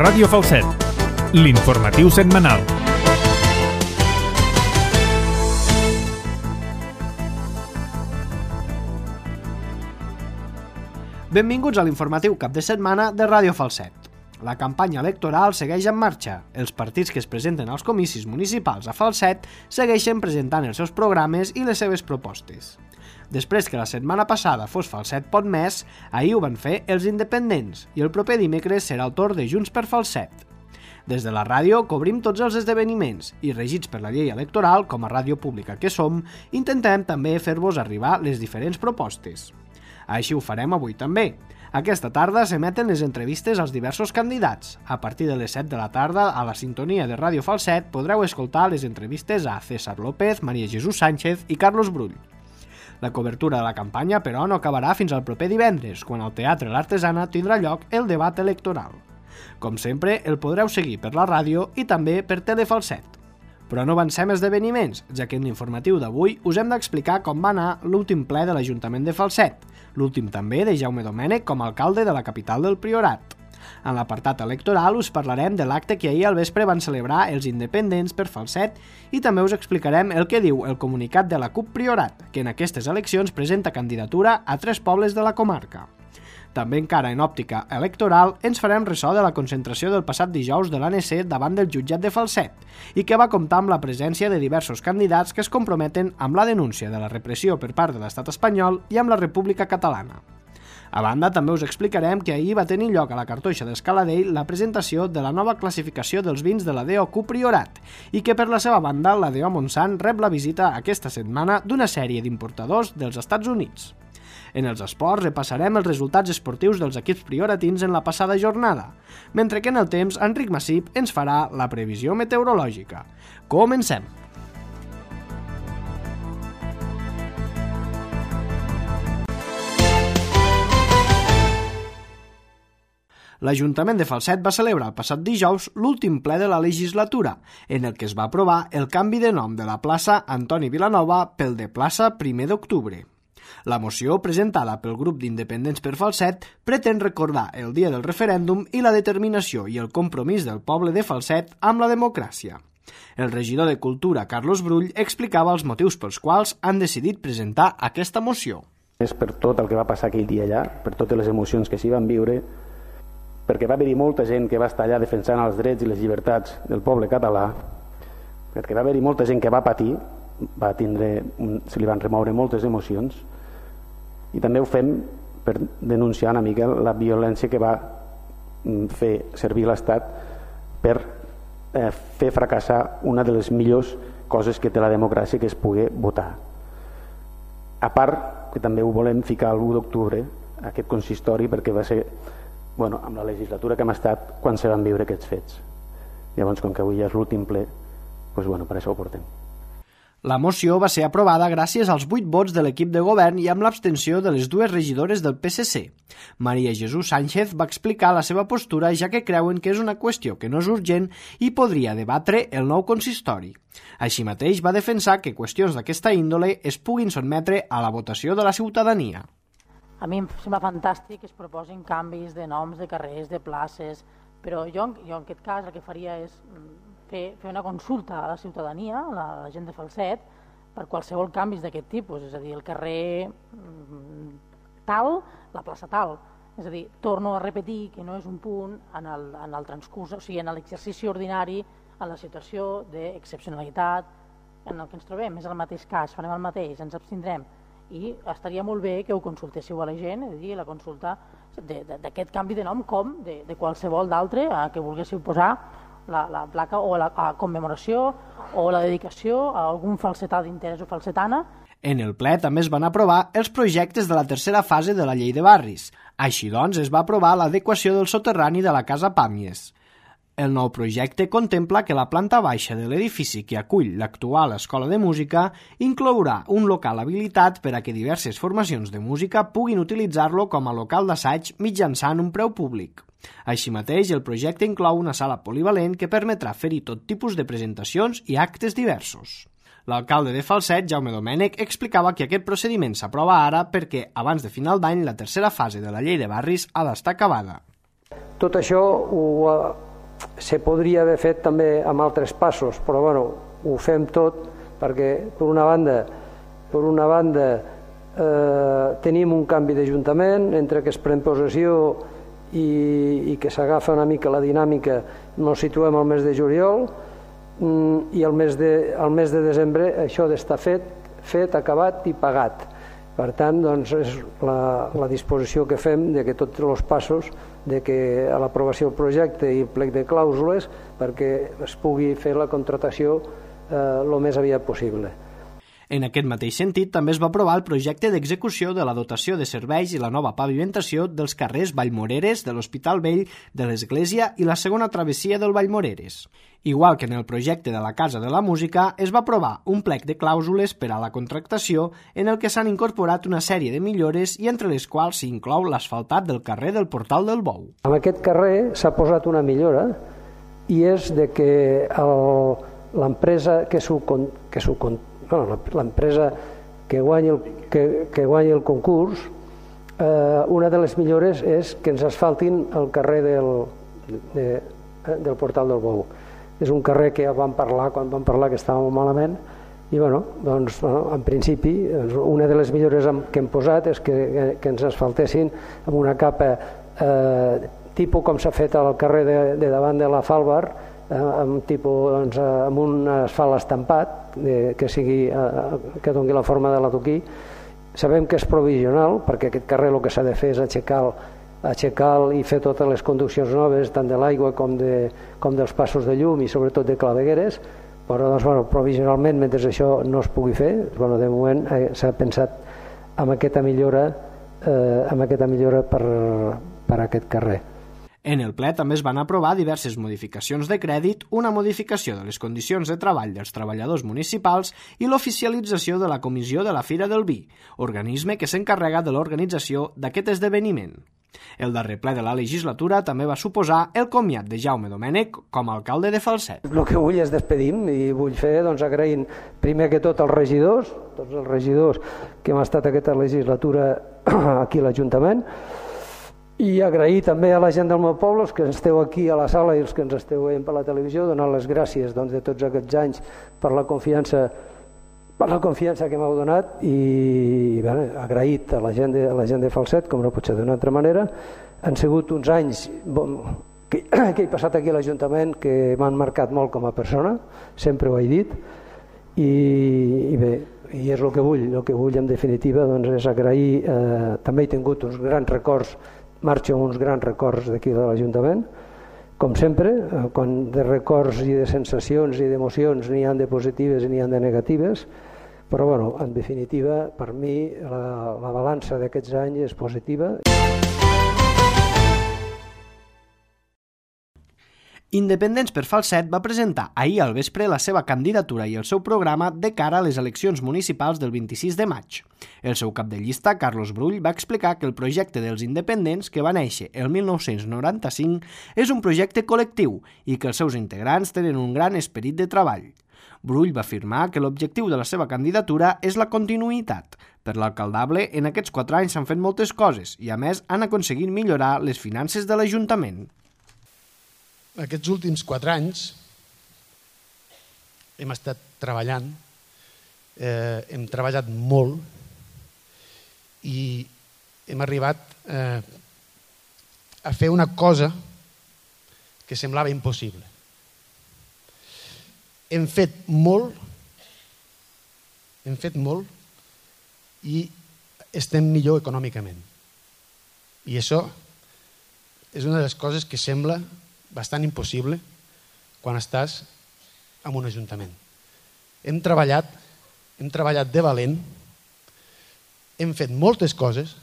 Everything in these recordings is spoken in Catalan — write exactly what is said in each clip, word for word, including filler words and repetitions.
Ràdio Falset, l'informatiu setmanal. Benvinguts a l'informatiu cap de setmana de Ràdio Falset. La campanya electoral segueix en marxa. Els partits que es presenten als comicis municipals a Falset segueixen presentant els seus programes i les seves propostes. Després que la setmana passada fos Falset Pot Més, ahir ho van fer els independents i el proper dimecres serà el torn de Junts per Falset. Des de la ràdio cobrim tots els esdeveniments i, regits per la llei electoral, com a ràdio pública que som, intentem també fer-vos arribar les diferents propostes. Així ho farem avui també. Aquesta tarda s'emeten les entrevistes als diversos candidats. A partir de les set de la tarda, a la sintonia de Ràdio Falset, podreu escoltar les entrevistes a César López, Maria Jesús Sánchez i Carlos Brull. La cobertura de la campanya, però, no acabarà fins al proper divendres, quan al Teatre L'Artesana tindrà lloc el debat electoral. Com sempre, el podreu seguir per la ràdio i també per Telefalset. Però no avancem esdeveniments, ja que en l'informatiu d'avui us hem d'explicar com va anar l'últim ple de l'Ajuntament de Falset, l'últim també de Jaume Domènech com a alcalde de la capital del Priorat. En l'apartat electoral us parlarem de l'acte que ahir al vespre van celebrar els independents per Falset i també us explicarem el que diu el comunicat de la CUP Priorat, que en aquestes eleccions presenta candidatura a tres pobles de la comarca. També encara en òptica electoral ens farem ressò de la concentració del passat dijous de l'A N C davant del jutjat de Falset i que va comptar amb la presència de diversos candidats que es comprometen amb la denúncia de la repressió per part de l'estat espanyol i amb la República Catalana. A banda, també us explicarem que ahir va tenir lloc a la Cartoixa d'Escaladell la presentació de la nova classificació dels vins de la D O CUP Priorat i que per la seva banda la D O Montsant rep la visita aquesta setmana d'una sèrie d'importadors dels Estats Units. En els esports repassarem els resultats esportius dels equips prioratins en la passada jornada, mentre que en el temps Enric Massip ens farà la previsió meteorològica. Comencem! L'Ajuntament de Falset va celebrar el passat dijous l'últim ple de la legislatura, en el que es va aprovar el canvi de nom de la plaça Antoni Vilanova pel de plaça primer d'octubre. La moció, presentada pel grup d'independents per Falset, pretén recordar el dia del referèndum i la determinació i el compromís del poble de Falset amb la democràcia. El regidor de Cultura, Carlos Brull, explicava els motius pels quals han decidit presentar aquesta moció. És per tot el que va passar aquell dia allà, per totes les emocions que s'hi van viure, perquè va haver-hi molta gent que va estar allà defensant els drets i les llibertats del poble català, perquè va haver-hi molta gent que va patir, va tindre, se li van remoure moltes emocions, i també ho fem per denunciar una mica la violència que va fer servir l'Estat per eh, fer fracassar una de les millors coses que té la democràcia, que és poder votar. A part que també ho volem ficar l'u d'octubre, aquest consistori, perquè va ser bueno, amb la legislatura que hem estat quan se van viure aquests fets. Llavors, com que avui ja és l'últim ple, doncs, bueno, per això ho portem. La moció va ser aprovada gràcies als vuit vots de l'equip de govern i amb l'abstenció de les dues regidores del P S C. Maria Jesús Sánchez va explicar la seva postura, ja que creuen que és una qüestió que no és urgent i podria debatre el nou consistori. Així mateix va defensar que qüestions d'aquesta índole es puguin sotmetre a la votació de la ciutadania. A mi em sembla fantàstic que es proposin canvis de noms, de carrers, de places, però jo, jo en aquest cas el que faria és fer, fer una consulta a la ciutadania, a la, a la gent de Falset, per qualsevol canvis d'aquest tipus, és a dir, el carrer tal, la plaça tal. És a dir, torno a repetir que no és un punt en el, en el transcurs, o sigui, en l'exercici ordinari, en la situació d'excepcionalitat en el que ens trobem. És el mateix cas, farem el mateix, ens abstindrem. I estaria molt bé que ho consultéssiu a la gent, és a dir, la consulta d'aquest canvi de nom com de, de qualsevol d'altre que volguéssiu posar la, la placa o la, la commemoració o la dedicació a algun falsetà d'interès o falsetana. En el ple també es van aprovar els projectes de la tercera fase de la llei de barris. Així doncs, es va aprovar l'adequació del soterrani de la Casa Pàmies. El nou projecte contempla que la planta baixa de l'edifici que acull l'actual Escola de Música inclourà un local habilitat per a que diverses formacions de música puguin utilitzar-lo com a local d'assaig mitjançant un preu públic. Així mateix, el projecte inclou una sala polivalent que permetrà fer-hi tot tipus de presentacions i actes diversos. L'alcalde de Falset, Jaume Domènech, explicava que aquest procediment s'aprova ara perquè, abans de final d'any, la tercera fase de la llei de barris ha d'estar acabada. Tot això ho, se podria haver fet també amb altres passos, però bueno, ho fem tot perquè per una banda, per una banda eh, tenim un canvi d'Ajuntament, entre que es pren possessió i, i que s'agafa una mica la dinàmica, ens situem al mes de juliol, i al mes de, al mes de desembre això d'estar fet, fet, acabat i pagat. Per tant, doncs, és la, la disposició que fem de que tots els passos, de que a l'aprovació del projecte i el plec de clàusules perquè es pugui fer la contractació eh, el més aviat possible. En aquest mateix sentit, també es va aprovar el projecte d'execució de la dotació de serveis i la nova pavimentació dels carrers Vallmoreres, de l'Hospital Vell, de l'Església i la segona travessia del Vallmoreres. Igual que en el projecte de la Casa de la Música, es va aprovar un plec de clàusules per a la contractació en el que s'han incorporat una sèrie de millores i entre les quals s'inclou l'asfaltat del carrer del Portal del Bou. En aquest carrer s'ha posat una millora i és de que l'empresa que s'ho que s'ho Bueno, l'empresa que guanyi el, que, que guanyi el concurs, eh, una de les millores és que ens asfaltin el carrer del, de, del Portal del Bou. És un carrer que ja vam parlar quan vam parlar que estava molt malament i bueno, doncs, bueno, en principi una de les millores que hem posat és que, que ens asfaltessin amb una capa eh, tipus com s'ha fet al carrer de, de davant de la Falbar, amb, tipus, doncs, amb un asfalt estampat de, que, sigui, eh, que doni la forma de l'adoquí. Sabem que és provisional perquè aquest carrer el que s'ha de fer és aixecar, aixecar i fer totes les conduccions noves tant de l'aigua com, de, com dels passos de llum i sobretot de clavegueres, però doncs, bueno, provisionalment mentre això no es pugui fer, bueno, de moment eh, s'ha pensat en aquesta millora, eh, en aquesta millora per, per aquest carrer. En el ple també es van aprovar diverses modificacions de crèdit, una modificació de les condicions de treball dels treballadors municipals i l'oficialització de la Comissió de la Fira del Vi, organisme que s'encarrega de l'organització d'aquest esdeveniment. El darrer ple de la legislatura també va suposar el comiat de Jaume Domènech com a alcalde de Falset. El que vull és despedim i vull fer doncs, agraint primer que tot als regidors, tots els regidors que hem estat aquesta legislatura aquí a l'Ajuntament, i agrair també a la gent del meu poble, els que esteu aquí a la sala i els que ens esteu veient per la televisió, donar les gràcies doncs, de tots aquests anys per la confiança, per la confiança que m'heu donat i bé, agraït a la gent de, a la gent de Falset, com no pot ser d'una altra manera. Han sigut uns anys bon, que, que he passat aquí a l'Ajuntament que m'han marcat molt com a persona, sempre ho he dit, i, i bé, i és el que vull, el que vull en definitiva doncs, és agrair, eh, també he tingut uns grans records, marxo amb uns grans records d'aquí de l'Ajuntament, com sempre, quan de records i de sensacions i d'emocions n'hi ha de positives i n'hi ha de negatives, però bueno, en definitiva, per mi la, la balança d'aquests anys és positiva. Independents per Falset va presentar ahir al vespre la seva candidatura i el seu programa de cara a les eleccions municipals del vint-i-sis de maig. El seu cap de llista, Carlos Brull, va explicar que el projecte dels independents, que va néixer el mil nou-cents noranta-cinc, és un projecte col·lectiu i que els seus integrants tenen un gran esperit de treball. Brull va afirmar que l'objectiu de la seva candidatura és la continuïtat. Per l'alcaldable, en aquests quatre anys s'han fet moltes coses i, a més, han aconseguit millorar les finances de l'Ajuntament. Aquests últims quatre anys hem estat treballant, eh, hem treballat molt i hem arribat eh, a fer una cosa que semblava impossible. Hem fet molt, hem fet molt i estem millor econòmicament. I això és una de les coses que sembla bastant impossible quan estàs en un ajuntament. Hem treballat, hem treballat de valent, hem fet moltes coses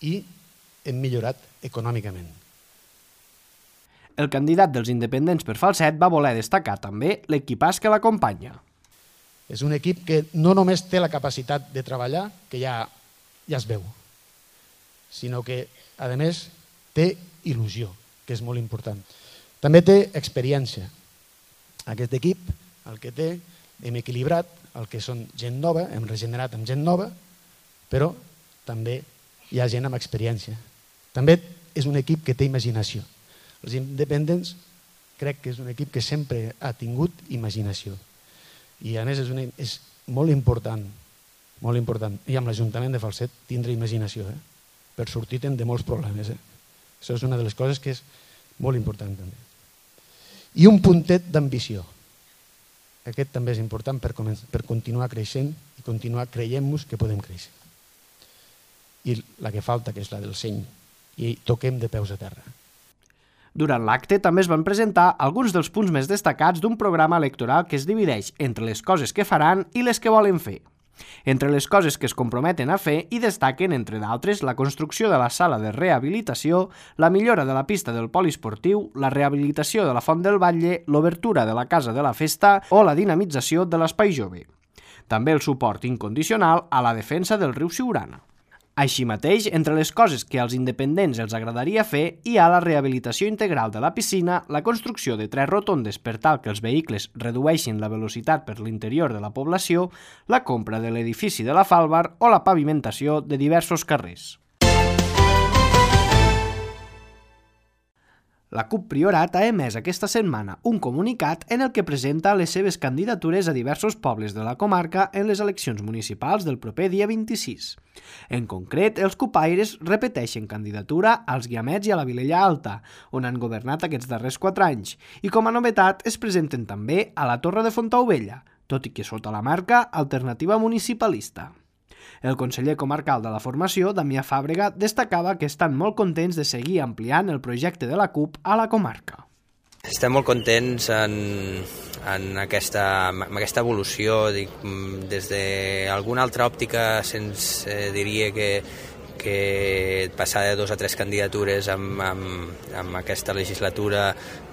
i hem millorat econòmicament. El candidat dels independents per Falset va voler destacar també l'equipàs que l'acompanya. És un equip que no només té la capacitat de treballar, que ja, ja es veu, sinó que, a més, té il·lusió, que és molt important. També té experiència. Aquest equip, el que té, hem equilibrat el que són gent nova, hem regenerat amb gent nova, però també hi ha gent amb experiència. També és un equip que té imaginació. Els independents crec que és un equip que sempre ha tingut imaginació. I a més és, una, és molt important, molt important, i amb l'Ajuntament de Falset tindre imaginació, eh? per sortir-te'n de molts problemes. Eh? Això és una de les coses que és molt important també. I un puntet d'ambició. Aquest també és important per, per continuar creixent i continuar creient-nos que podem créixer. I la que falta, que és la del seny, i toquem de peus a terra. Durant l'acte també es van presentar alguns dels punts més destacats d'un programa electoral que es divideix entre les coses que faran i les que volen fer. Entre les coses que es comprometen a fer hi destaquen, entre d'altres, la construcció de la sala de rehabilitació, la millora de la pista del poliesportiu, la rehabilitació de la Font del Batlle, l'obertura de la Casa de la Festa o la dinamització de l'Espai Jove. També el suport incondicional a la defensa del riu Siurana. Així mateix, entre les coses que als independents els agradaria fer hi ha la rehabilitació integral de la piscina, la construcció de tres rotondes per tal que els vehicles redueixin la velocitat per l'interior de la població, la compra de l'edifici de la Falbar o la pavimentació de diversos carrers. La CUP Priorat ha emès aquesta setmana un comunicat en el que presenta les seves candidatures a diversos pobles de la comarca en les eleccions municipals del proper dia vint-i-sis. En concret, els cupaires repeteixen candidatura als Guiamets i a la Vilella Alta, on han governat aquests darrers quatre anys, i com a novetat es presenten també a la Torre de Fontaubella, tot i que sota la marca Alternativa Municipalista. El conseller comarcal de la formació, Damià Fàbrega, destacava que estan molt contents de seguir ampliant el projecte de la CUP a la comarca. Estem molt contents en, en, aquesta, en aquesta evolució. Dic, des d'alguna altra òptica se'ns eh, diria que, que passar de dos a tres candidatures amb, amb, amb aquesta legislatura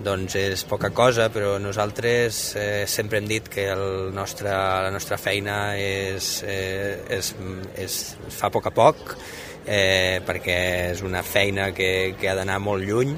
doncs és poca cosa, però nosaltres eh, sempre hem dit que el nostre, la nostra feina és, eh, és, és, es fa a poc a poc, eh, perquè és una feina que, que ha d'anar molt lluny,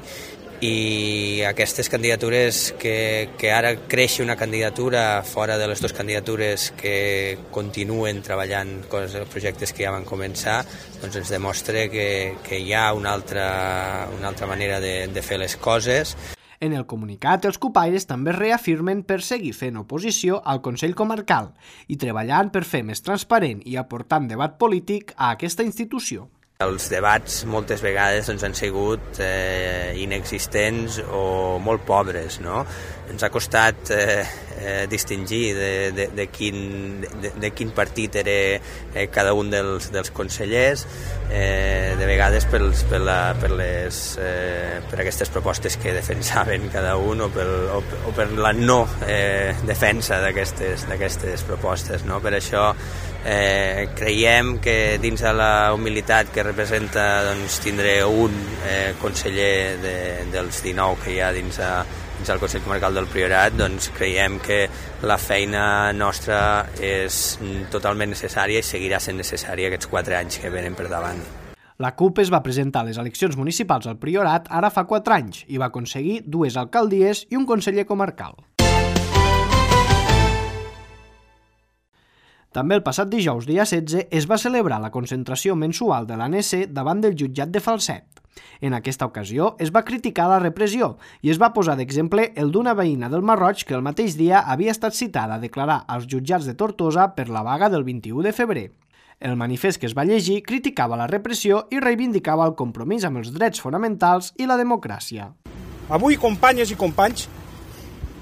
i aquestes candidatures, que, que ara creixi una candidatura fora de les dues candidatures que continuen treballant coses, projectes que ja van començar, doncs ens demostra que, que hi ha una altra, una altra manera de, de fer les coses. En el comunicat, els cupaires també reafirmen per seguir fent oposició al Consell Comarcal i treballant per fer més transparent i aportant debat polític a aquesta institució. Els debats moltes vegades doncs, han sigut eh, inexistents o molt pobres, no? Ens ha costat eh, eh, distingir de, de, de, quin, de, de quin partit era eh, cada un dels, dels consellers, eh, de vegades pels, per, la, per, les, eh, per aquestes propostes que defensaven cada un o, pel, o, o per la no eh, defensa d'aquestes d'aquestes propostes, no? Per això eh, creiem que dins de la humilitat que representa doncs, tindre un eh, conseller de, dels dinou que hi ha dins, a, dins del Consell Comarcal del Priorat, doncs creiem que la feina nostra és totalment necessària i seguirà sent necessària aquests quatre anys que venen per davant. La CUP es va presentar a les eleccions municipals al Priorat ara fa quatre anys i va aconseguir dues alcaldies i un conseller comarcal. També el passat dijous, dia setze, es va celebrar la concentració mensual de l'A N S davant del jutjat de Falset. En aquesta ocasió es va criticar la repressió i es va posar d'exemple el d'una veïna del Marroig que el mateix dia havia estat citada a declarar als jutjats de Tortosa per la vaga del vint-i-u de febrer. El manifest que es va llegir criticava la repressió i reivindicava el compromís amb els drets fonamentals i la democràcia. Avui, companyes i companys,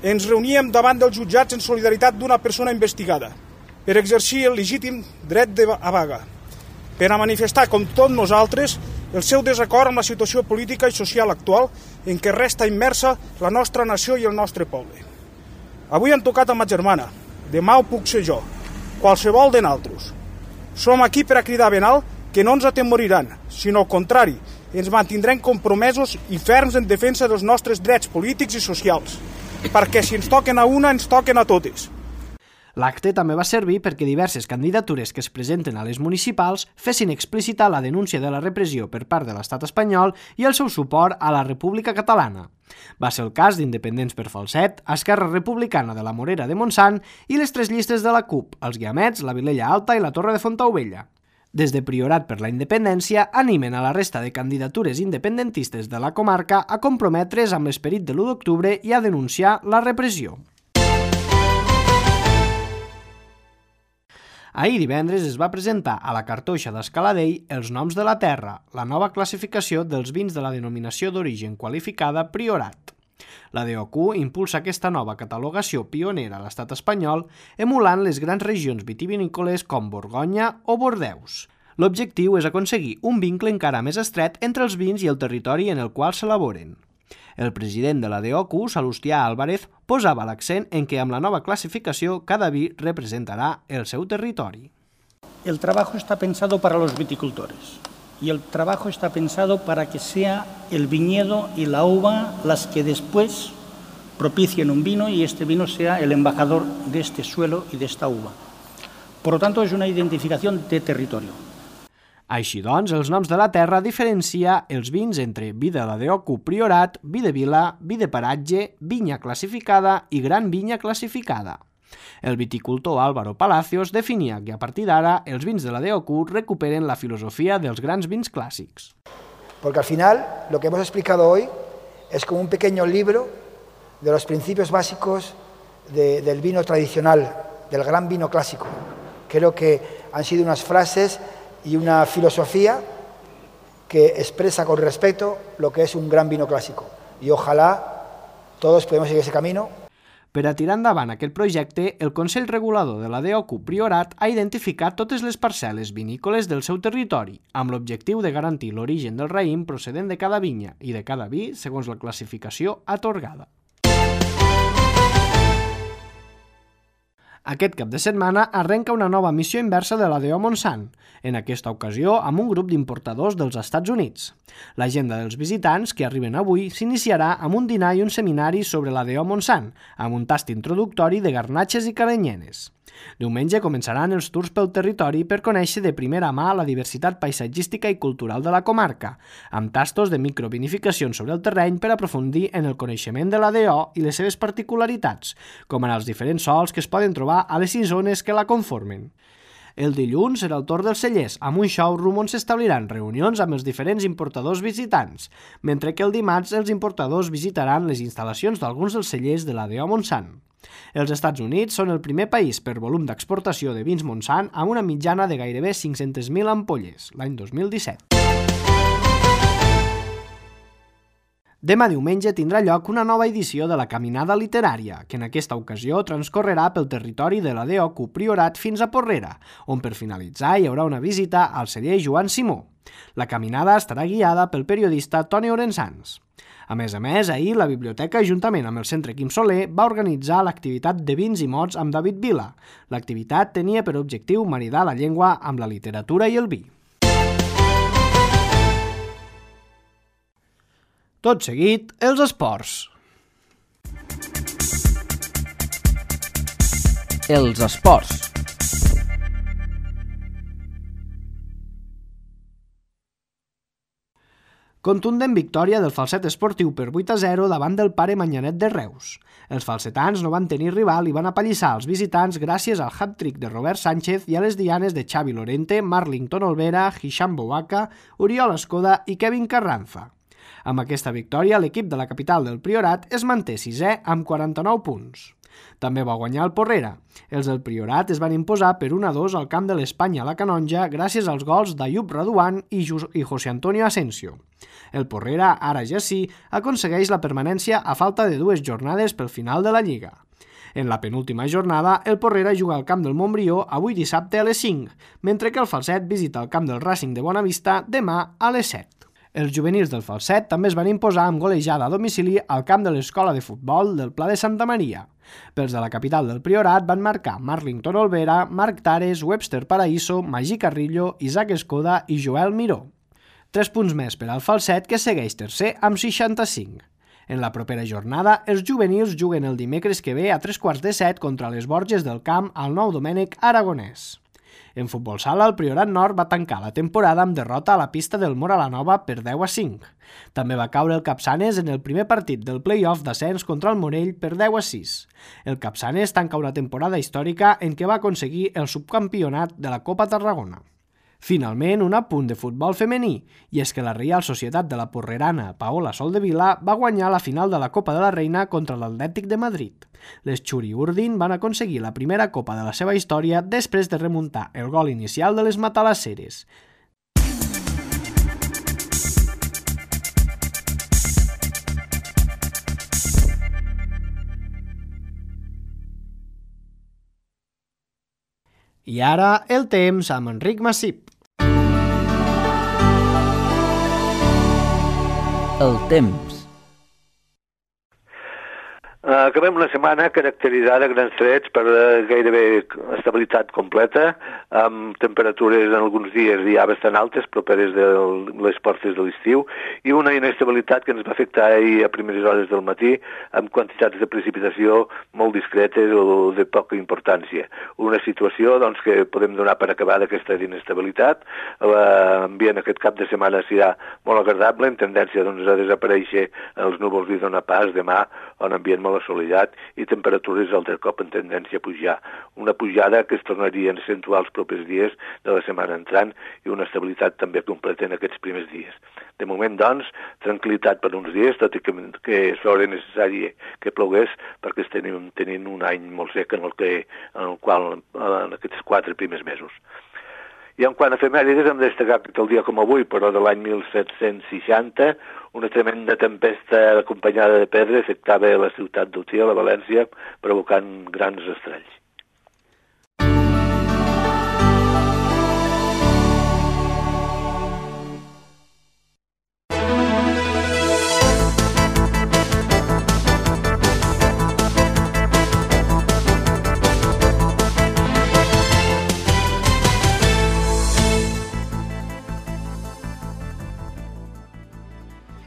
ens reuníem davant dels jutjats en solidaritat d'una persona investigada per exercir el legítim dret de a vaga, per a manifestar, com tots nosaltres, el seu desacord amb la situació política i social actual en què resta immersa la nostra nació i el nostre poble. Avui han tocat a ma germana, demà ho puc ser jo, qualsevol de naltros. Som aquí per a cridar ben alt que no ens atemoriran, sinó al contrari, ens mantindrem compromesos i ferms en defensa dels nostres drets polítics i socials, perquè si ens toquen a una, ens toquen a totes. L'acte també va servir perquè diverses candidatures que es presenten a les municipals fessin explícita la denúncia de la repressió per part de l'estat espanyol i el seu suport a la República Catalana. Va ser el cas d'Independents per Falset, Esquerra Republicana de la Morera de Montsant i les tres llistes de la CUP, els Guiamets, la Vilella Alta i la Torre de Fontaubella. Des de Priorat per la Independència animen a la resta de candidatures independentistes de la comarca a comprometre's amb l'esperit de l'u d'octubre i a denunciar la repressió. Ahir divendres es va presentar a la cartoixa d'Escaladell Els noms de la terra, la nova classificació dels vins de la denominació d'origen qualificada Priorat. La D O Q impulsa aquesta nova catalogació pionera a l'estat espanyol, emulant les grans regions vitivinícoles com Borgonya o Bordeus. L'objectiu és aconseguir un vincle encara més estret entre els vins i el territori en el qual s'elaboren. El president de la D O Q, Salustià Álvarez, posava l'accent en que amb la nova classificació cada vi representarà el seu territori. El trabajo está pensado para los viticultores. Y el trabajo está pensado para que sea el viñedo y la uva las que después propicien un vino y este vino sea el embajador de este suelo y de esta uva. Por lo tanto, es una identificación de territorio. Així doncs, els noms de la terra diferencia els vins entre vi de la D O Q Priorat, vi de vila, vi de paratge, vinya classificada i gran vinya classificada. El viticultor Álvaro Palacios definia que a partir d'ara els vins de la D O Q recuperen la filosofía dels grans vins clàssics. Porque al final lo que hemos explicado hoy es como un pequeño libro de los principios básicos de, del vino tradicional, del gran vino clásico. Creo que han sido unas frases y una filosofía que expresa con respeto lo que es un gran vino clásico. Y ojalá todos podamos seguir ese camino. Per a tirar endavant aquest projecte, el Consell Regulador de la D O Q Priorat ha identificat totes les parcel·les vinícoles del seu territori, amb l'objectiu de garantir l'origen del raïm procedent de cada vinya i de cada vi segons la classificació atorgada. Aquest cap de setmana arrenca una nova missió inversa de la D O Montsant, en aquesta ocasió amb un grup d'importadors dels Estats Units. L'agenda dels visitants que arriben avui s'iniciarà amb un dinar i un seminari sobre la D O Montsant, amb un tast introductori de garnatxes i caranyenes. Diumenge començaran els tours pel territori per conèixer de primera mà la diversitat paisatgística i cultural de la comarca, amb tastos de microvinificacions sobre el terreny per aprofundir en el coneixement de la D O i les seves particularitats, com en els diferents sols que es poden trobar a les sis zones que la conformen. El dilluns serà el torn dels cellers, amb un showroom on s'establiran reunions amb els diferents importadors visitants, mentre que el dimarts els importadors visitaran les instal·lacions d'alguns dels cellers de la D O Montsant. Els Estats Units són el primer país per volum d'exportació de vins Montsant amb una mitjana de gairebé cinc-centes mil ampolles, l'any dos mil disset. Demà diumenge tindrà lloc una nova edició de la Caminada Literària, que en aquesta ocasió transcorrerà pel territori de la D O Q Priorat fins a Porrera, on per finalitzar hi haurà una visita al celler Joan Simó. La caminada estarà guiada pel periodista Toni Orensans. A més a més, ahir la biblioteca, juntament amb el Centre Quim Soler, va organitzar l'activitat de vins i mots amb David Vila. L'activitat tenia per objectiu maridar la llengua amb la literatura i el vi. Tot seguit, els esports. Els esports. Contundent victòria del Falset esportiu per vuit a zero davant del Pare Manyanet de Reus. Els falsetans no van tenir rival i van apallissar els visitants gràcies al hat-trick de Robert Sánchez i a les dianes de Xavi Lorente, Marlington Olvera, Hisham Bouaka, Oriol Escoda i Kevin Carranza. Amb aquesta victòria, l'equip de la capital del Priorat es manté sisè amb quaranta-nou punts. També va guanyar el Porrera. Els del Priorat es van imposar per un a dos al camp de l'Espanya a la Canonja gràcies als gols d'Ayub Raduan i José Antonio Asensio. El Porrera, ara ja sí, aconsegueix la permanència a falta de dues jornades pel final de la Lliga. En la penúltima jornada, el Porrera juga al camp del Montbrió avui dissabte a les cinc, mentre que el Falset visita el camp del Racing de Bonavista demà a les set. Els juvenils del Falset també es van imposar amb golejada a domicili al camp de l'escola de futbol del Pla de Santa Maria. Pels de la capital del Priorat van marcar Marlington Olvera, Marc Tares, Webster Paraíso, Magí Carrillo, Isaac Escoda i Joel Miró. Tres punts més per al Falset, que segueix tercer amb seixanta-cinc. En la propera jornada, els juvenils juguen el dimecres que ve a tres quarts de set contra les Borges del Camp al Nou Domènec Aragonès. En futbol sala, el Priorat Nord va tancar la temporada amb derrota a la pista del Mora la Nova per deu a cinc. També va caure el Capçanes en el primer partit del play-off d'ascens contra el Morell per deu a sis. El Capçanes tanca una temporada històrica en què va aconseguir el subcampionat de la Copa Tarragona. Finalment, un apunt de futbol femení, i és que la Reial Societat de la Porrerana Paola Soldevila va guanyar la final de la Copa de la Reina contra l'Atlètic de Madrid. Les Xuri Urdin van aconseguir la primera copa de la seva història després de remuntar el gol inicial de les matalasseres. I ara, el temps amb Enric Massip. El temps. Acabem una setmana caracteritzada a grans trets per gairebé estabilitat completa, amb temperatures en alguns dies ja bastant altes, properes de les portes de l'estiu, i una inestabilitat que ens va afectar ahir a primeres hores del matí, amb quantitats de precipitació molt discretes o de poca importància. Una situació doncs, que podem donar per acabada aquesta inestabilitat. L'ambient aquest cap de setmana serà molt agradable, en tendència doncs, a desaparèixer els núvols i donar pas demà a un ambient molt assolellat i temperatures altre cop en tendència a pujar. Una pujada que es tornaria a accentuar els propers dies de la setmana entrant i una estabilitat també completa en aquests primers dies. De moment, doncs, tranquil·litat per uns dies, tot i que, que és l'hora necessària que plogués perquè estem tenint un any molt sec en el, que, en el qual en aquests quatre primers mesos. I en quant a efemèrides, hem de destacar que el dia com avui, però de l'any mil set-cents seixanta, una tremenda tempesta acompanyada de pedra afectava la ciutat d'Utiel, a València, provocant grans estralls.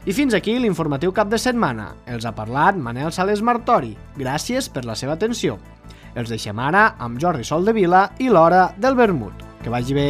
I fins aquí l'informatiu cap de setmana. Els ha parlat Manel Sales Martori. Gràcies per la seva atenció. Els deixem ara amb Jordi Soldevila i l'Hora del Vermut. Que vagi bé.